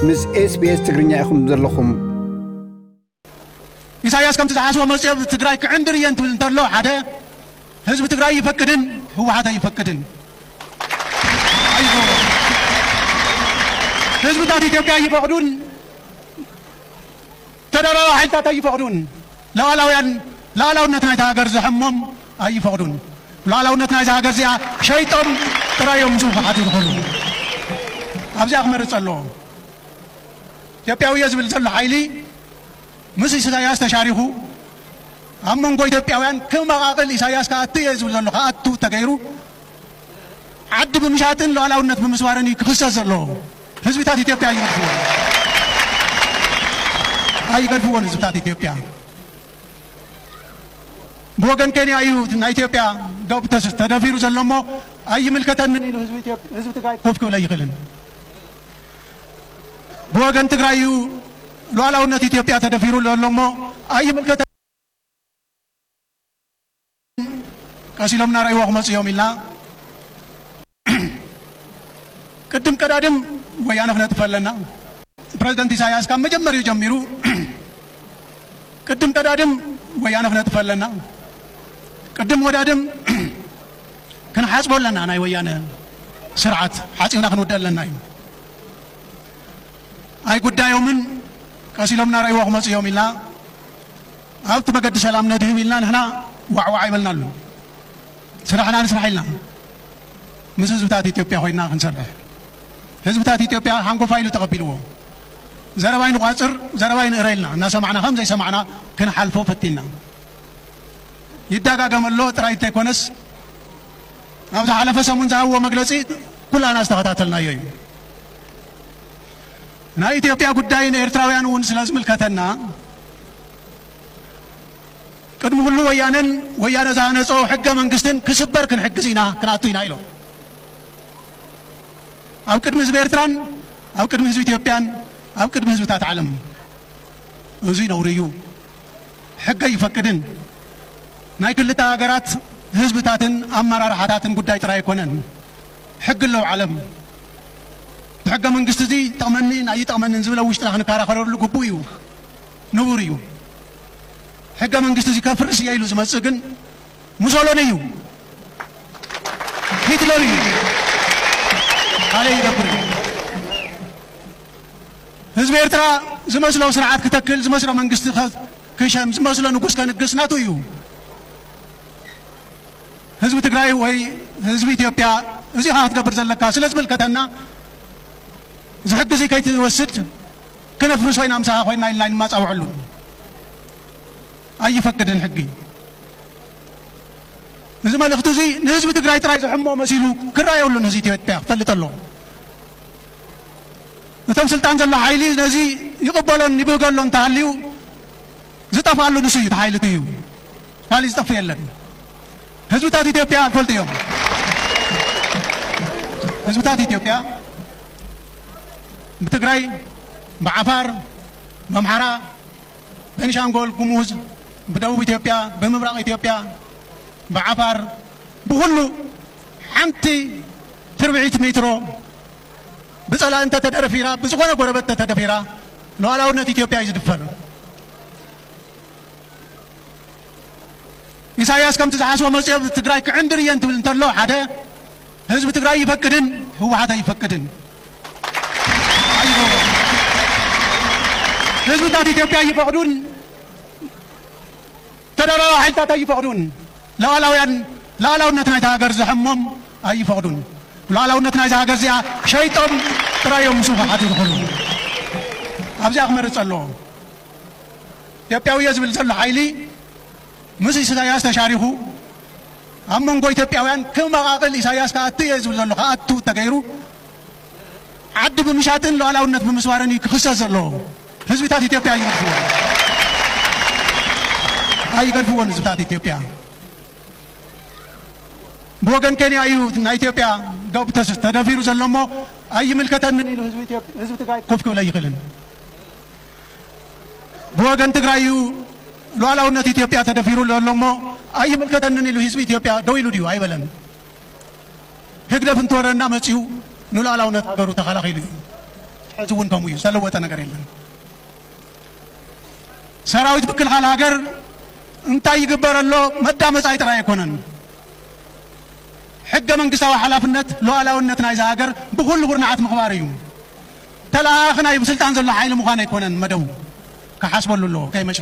ምስ SBS ትግርኛ ኢኹም ዘለኹም። ኢሳያስ ከምቲ ዝሓስቦ መጽዮ ትግራይ ክዕንድር እየን ትብል እንተሎ ሓደ ህዝቢ ትግራይ ይፈቅድን ህወሓት ኣይፈቅድን። ኣይፈቅድን። ህዝብታት ኢትዮጵያ ይፈቅዱን ተደራራቢ ሓይልታት ኣይፈቅዱን። ሉዓላውያን ሉዓላውነት ናይታ ሃገር ዘሐሞም ኣይፈቅዱን። ሉዓላውነት ናይዛ ሃገር እዚኣ ሸይጦም ጥራይ እዮም ምስኡ ክሓቱ ዝኽእሉ። ኣብዚኣ ክመርጽ ኣለዎ። ኢትዮጵያዊ እየ ዝብል ዘሎ ሓይሊ ምስ ኢሳያስ ተሻሪኹ ኣብ መንጎ ኢትዮጵያውያን ክመቓቕል ኢሳያስ ክኣቱ እየ ዝብል ዘሎ ክኣቱ ተገይሩ ዓዲ ብምሻጥን ሉዓላውነት ብምስባርን እዩ ክኽሰስ ዘለዎ። ህዝብታት ኢትዮጵያ ኣይገድፍዎን። ኣይገድፍዎን ህዝብታት ኢትዮጵያ። ብወገን ኬንያ እዩ ናይ ኢትዮጵያ ዶብ ተስ-፣ ተደፊሩ ዘሎ እሞ ኣይምልከተንን ኢሉ ህዝቢ ኢትዮጵ-፣ ህዝቢ ትግራይ ኮፍ ክብል ኣይኽእልን። ብወገን ትግራይ እዩ ሉዓላውነት ኢትዮጵያ ተደፊሩ ዘሎ እሞ ኣይምልከተን። ቀስ ኢሎም እናረእይዎ ክመፁ እዮም ኢልና ቅድም ቀዳድም ወያነ ክነጥፍ ኣለና። ፕረዚደንት ኢሳያስ ካብ መጀመሪኡ ጀሚሩ ቅድም ቀዳድም ወያነ ክነጥፍ ኣለና። ቅድም ወዳድም ክንሓፅቦ ኣለና። ናይ ወያነ ስርዓት ሓፂብና ክንውድእ ኣለና እዩ። ኣይጉዳዮምን ቀስ ኢሎም እናረእይዎ ክመፁ እዮም ኢልና ኣብቲ መገዲ ሰላም ነድህብ ኢልና ንሕና ዋዕዋዕ ኣይበልናሉ። ስራሕና ንስራሕ ኢልና ምስ ህዝብታት ኢትዮጵያ ኮይና ክንሰርሕ ህዝብታት ኢትዮጵያ ሓንጎፋ ኢሉ ተቐቢልዎ። ዘረባይ ንቋፅር ዘረባይ ንእረ ኢልና እናሰማዕና ከም ዘይሰማዕና ክንሓልፎ ፈቲና። ይደጋገም ኣሎ ጥራይ እንተይኮነስ ኣብ ዝሓለፈ ሰሙን ዝሃብዎ መግለፂ ኩላና ዝተኸታተልናዮ እዩ። ናይ ኢትዮጵያ ጉዳይ ንኤርትራውያን እውን ስለ ዝምልከተና ቅድሚ ኩሉ ወያነን ወያነ ዝሃነጾ ሕገ መንግስትን ክስበር ክንሕግዝ ኢና ክንኣቱ ኢና ኢሎም። ኣብ ቅድሚ ህዝቢ ኤርትራን ኣብ ቅድሚ ህዝቢ ኢትዮጵያን ኣብ ቅድሚ ህዝብታት ዓለም እዚ ነውሪ እዩ። ሕገ ይፈቅድን ናይ ክልተ ሃገራት ህዝብታትን ኣመራርሓታትን ጉዳይ ጥራይ ኣይኮነን። ሕጊ ኣለዉ ዓለም። እቲ ሕገ መንግስቲ እዚ ይጠቕመኒን ኣይጠቕመንን ዝብል ኣብ ውሽጥና ክንከራኸረሉ ግቡእ እዩ፣ ንቡር እዩ። ሕገ መንግስቲ እዚ ከፍርስ እየ ኢሉ ዝመጽእ ግን ሙሶሎኒ እዩ፣ ሂትለር እዩ፣ ካልእ ይገብር እዩ። ህዝቢ ኤርትራ ዝመስሎ ስርዓት ክተክል፣ ዝመስሎ መንግስቲ ከ-፣ ክሸም፣ ዝመስሎ ንጉስ ከንግስ ናቱ እዩ። ህዝቢ ትግራይ ወይ ህዝቢ ኢትዮጵያ እዚኻ ክትገብር ዘለካ ስለ ዝምልከተና፣ እዚ ሕጊ እዚ ከይትወስድ ክነፍርሶ ኢና፣ ምሳኻ ኮይና ኢልና ኣይንማጻውዐሉ። ኣይፈቅድን ሕጊ። እዚ መልእኽቲ እዚ ንህዝቢ ትግራይ ጥራይ ዝሕሞ መሲሉ ክረኣየሉን ህዝቢ ኢትዮጵያ ክፈልጥ ኣለዎ። እቶም ስልጣን ዘሎ ሓይሊ ነዚ ይቕበሎን ይብህገሎን እንተሃልዩ ዝጠፍኣሉ ንሱ እዩ፣ እቲ ሓይሊ እቲ እዩ። ካልእ ዝጠፍእ የለን። ህዝብታት ኢትዮጵያ ይፈልጡ እዮም። ህዝብታት ኢትዮጵያ ብትግራይ፣ ብዓፋር፣ ብኣምሓራ፣ ቤኒሻንጎል ጉሙዝ፣ ብደቡብ ኢትዮጵያ፣ ብምብራቕ ኢትዮጵያ፣ ብዓፋር፣ ብኹሉ ሓንቲ ትርብዒት ሜትሮ ብጸላኢ እንተተደረፊራ፣ ብዝኾነ ጎረበት እንተተደፊራ፣ ሉዓላውነት ኢትዮጵያ እዩ ዝድፈር። ኢሳያስ ከምቲ ዝሓስቦ መጽዮ ትግራይ ክዕንድር እየን ትብል እንተሎ ሓደ ህዝቢ ትግራይ ይፈቅድን ህወሓት ኣይፈቅድን። ኣይፈቅድን። ህዝብታት ኢትዮጵያ ይፈቅዱን ተደራራቢ ሓይልታት ኣይፈቅዱን። ሉዓላውያን ሉዓላውነት ናይታ ሃገር ዘሐሞም ኣይፈቅዱን። ሉዓላውነት ናይዛ ሃገር እዚኣ ሸይጦም ጥራይ እዮም ምስኡ ክሓቱ ዝኽእሉ። ኣብዚኣ ክመርጽ ኣለዎ። ኢትዮጵያዊ እየ ዝብል ዘሎ ሓይሊ ምስ ኢሳያስ ተሻሪኹ ኣብ መንጎ ኢትዮጵያውያን ክመቓቕል ኢሳያስ ክኣቱ እየ ዝብል ዘሎ ክኣቱ ተገይሩ ዓዲ ብምሻጥን ሉዓላውነት ብምስባርን እዩ ክኽሰስ ዘለዎ። ህዝብታት ኢትዮጵያ ኣይገድፍዎን። ኣይገድፍዎን ህዝብታት ኢትዮጵያ። ብወገን ኬንያ እዩ ናይ ኢትዮጵያ ዶብ ተስ-፣ ተደፊሩ ዘሎ እሞ ኣይምልከተንን ኢሉ ህዝቢ ኢትዮ-፣ ህዝቢ ትግራይ ኮፍ ክብል ኣይኽእልን። ብወገን ትግራይ እዩ ሉዓላውነት ኢትዮጵያ ተደፊሩ ዘሎ እሞ ኣይምልከተንን ኢሉ ህዝቢ ኢትዮጵያ ደው ኢሉ ድዩ? ኣይበለን። ህግደፍ እንትወረና መፂኡ ንሉዓላውነት ሃገሩ ተኸላኺሉ እዩ። ሕዚ እውን ከምኡ እዩ፣ ዝተለወጠ ነገር የለን። ሰራዊት ምክልኻል ሃገር እንታይ ይግበር ኣሎ መዳመፃይ ጥራይ ኣይኮነን። ሕገ መንግስታዊ ሓላፍነት ሉዓላውነት ናይዛ ሃገር ብኩሉ ኩርናዓት ምኽባር እዩ። ተለኣኣኺ ናይ ስልጣን ዘሎ ሓይሊ ምዃን ኣይኮነን መደቡ። ክሓስበሉ ኣለዎ ከይመሸ።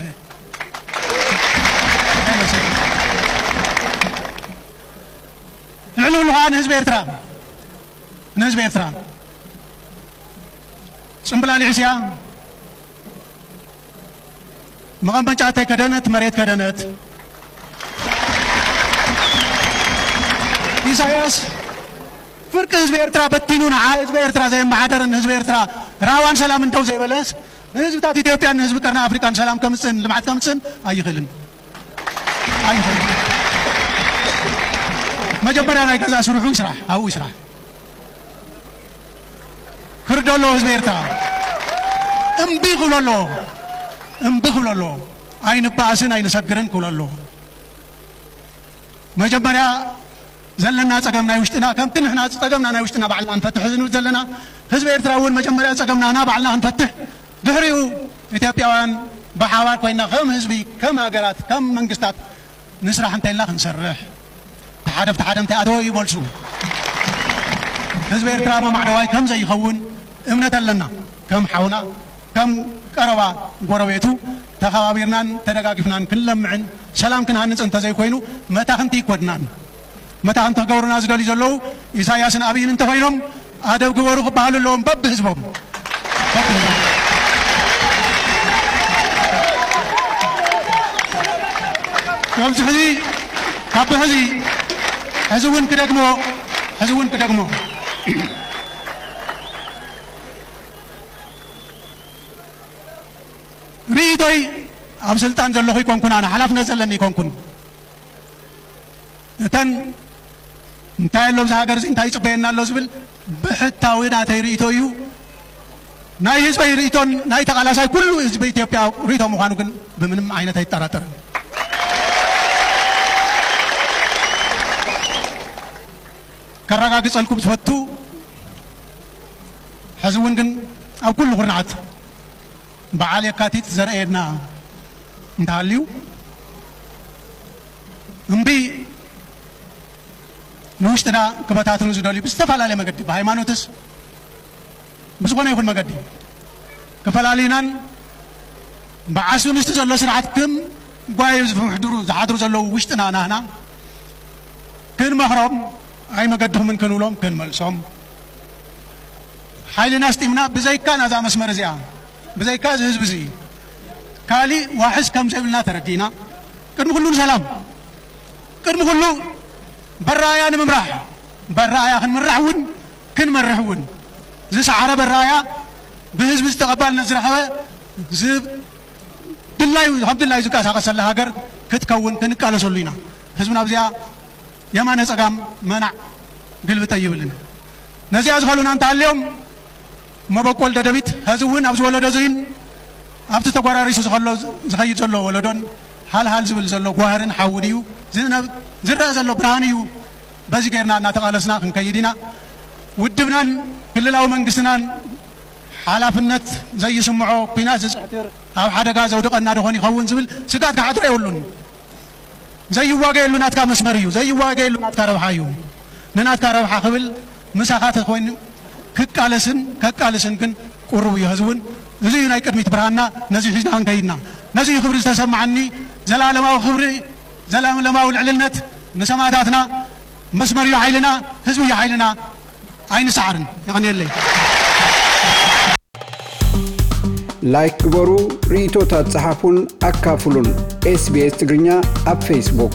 ልዕሊ ኩሉ ከዓ ንህዝቢ ኤርትራ፣ ንህዝቢ ኤርትራ ፅምብላሊዕ እስያ መቐመጫ እንተይከደነት መሬት ከደነት። ኢሳያስ ፍርቂ ህዝቢ ኤርትራ በቲኑ ንዓ ህዝቢ ኤርትራ ዘየመሓደርን ህዝቢ ኤርትራ ራዋን ሰላም እንተው ዘይበለስ ንህዝብታት ኢትዮጵያን ንህዝቢ ቀርኒ ኣፍሪቃን ሰላም ከምፅእን ልምዓት ከምፅእን ኣይኽእልን። ኣይኽእልን። መጀመርያ ናይ ገዛ ስርሑ ይስራሕ፣ ኣብኡ ይስራሕ። ክርዶ ኣለዎ ህዝቢ ኤርትራ። እምቢ ክብሎ ኣለዎ። እምቢ ክብሎ ኣለዎ። ኣይንበኣስን ኣይንሰግርን ክብሎ ኣለዎ። መጀመርያ ዘለና ጸገም ናይ ውሽጥና፣ ከምቲ ንሕና ጸገምና ናይ ውሽጥና ባዕልና ንፈትሕ ዝንብል ዘለና፣ ህዝቢ ኤርትራ እውን መጀመርያ ጸገምና ና ባዕልና ክንፈትሕ፣ ድሕሪኡ ኢትዮጵያውያን ብሓባር ኮይና ከም ህዝቢ፣ ከም ሃገራት፣ ከም መንግስታት ንስራሕ እንተኢልና ክንሰርሕ፣ እቲ ሓደ ብቲ ሓደ እንታይ ኣተወ እዩ መልሱ። ህዝቢ ኤርትራ መማዕደዋይ ከም ዘይኸውን እምነት ኣለና። ከም ሓውና፣ ከም ቀረባ ጎረቤቱ ተኸባቢርናን ተደጋጊፍናን ክንለምዕን ሰላም ክንሃንጽ እንተዘይኮይኑ መታኽንቲ ኣይኮንናን። መታኽንቲ ክገብሩና ዝደልዩ ዘለዉ ኢሳያስን ኣብይን እንተኾይኖም ኣደብ ግበሩ ክበሃሉ ኣለዎም በብህዝቦም። በብህዝቦም። ከምዚ ሕዚ፣ ካብ ሕዚ፣ ሕዚ እውን ክደግሞ፣ ሕዚ እውን ክደግሞ። ርእይቶይ ኣብ ስልጣን ዘለኹ ይኮንኩን፣ ኣነ ሓላፍነት ዘለኒ ይኮንኩን። እተን እንታይ ኣሎ ኣብዚ ሃገር እዚ እንታይ ይጽበየና ኣሎ ዝብል ብሕታዊ ናተይ ርእይቶ እዩ። ናይ ህዝበይ ርእይቶን ናይ ተቓላሳይ ኩሉ ህዝቢ ኢትዮጵያ ርእይቶ ምዃኑ ግን ብምንም ዓይነት ኣይጠራጠርን። ከረጋግጸልኩም ዝፈቱ፣ ሕዚ እውን ግን ኣብ ኩሉ ኩርናዓት በዓል የካቲት ዘርእየና እንተሃልዩ፣ እምቢ ንውሽጥና ክበታትኑ ዝደልዩ ብዝተፈላለየ መገዲ፣ ብሃይማኖትስ ብዝኾነ ይኹን መገዲ ክፈላልዩናን ብዓሱ ምስቲ ዘሎ ስርዓት ክም ጓዩ ዝሕድሩ፣ ዝሓድሩ ዘለዉ ውሽጥና ናህና ክንመኽሮም ኣይመገድኹምን ክንብሎም ክንመልሶም ሓይልና ኣስጢምና ብዘይካ ናዛ መስመር እዚኣ፣ ብዘይካ እዚ ህዝቢ እዚ ካሊእ ዋሕስ ከም ዘይብልና ተረዲእና፣ ቅድሚ ኩሉ ንሰላም፣ ቅድሚ ኩሉ በራያ ንምምራሕ፣ በራያ ክንምራሕ እውን ክንመርሕ እውን ዝሰዓረ በራያ ብህዝቢ ዝተቐባልነት ዝረኸበ ዝ-፣ ድላዩ፣ ከም ድላዩ ዝንቀሳቐሰላ ሃገር ክትከውን ክንቃለሰሉ ኢና። ህዝብና ኣብዚኣ የማነ ጸጋም መናዕ ግልብጠ ይብልን። ነዚኣ ዝኸሉና እንተሃልዮም መበቆል ደደቢት፣ ሐዚ እውን ኣብዚ ወለዶ እዚን ኣብቲ ተጓራሪሱ ዝኸሎ ዝኸይድ ዘሎ ወለዶን ሃልሃል ዝብል ዘሎ ጓህርን ሓውን እዩ። ዝነ-፣ ዝረአ ዘሎ ብርሃን እዩ። በዚ ጌርና እናተቓለስና ክንከይድ ኢና። ውድብናን ክልላዊ መንግስትናን ሓላፍነት ዘይስምዖ ኲናት ዝፅሕትር ኣብ ሓደጋ ዘውድቐና ዶኾን ይኸውን ዝብል ስጋት ክሓድሮ የብሉን። ዘይዋገየሉ ናትካ መስመር እዩ፣ ዘይዋገየሉ ናትካ ረብሓ እዩ። ንናትካ ረብሓ ክብል ምሳኻ ተኮይኑ ክቃለስን ከቃልስን ግን ቁሩብ እዩ። ህዝቢ እውን እዚ እዩ ናይ ቅድሚት ብርሃንና፣ ነዚ ሒዝና ክንከይድና። ነዚ እዩ ክብሪ ዝተሰማዓኒ፣ ዘላለማዊ ክብሪ፣ ዘላለማዊ ልዕልነት ንሰማእታትና። መስመር እዩ ሓይልና፣ ህዝቢ እዩ ሓይልና። ኣይንሰዓርን። የቐንየለይ። ላይክ ግበሩ፣ ርእይቶታት ጸሓፉን ኣካፍሉን። ኤስቢኤስ ትግርኛ ኣብ ፌስቡክ።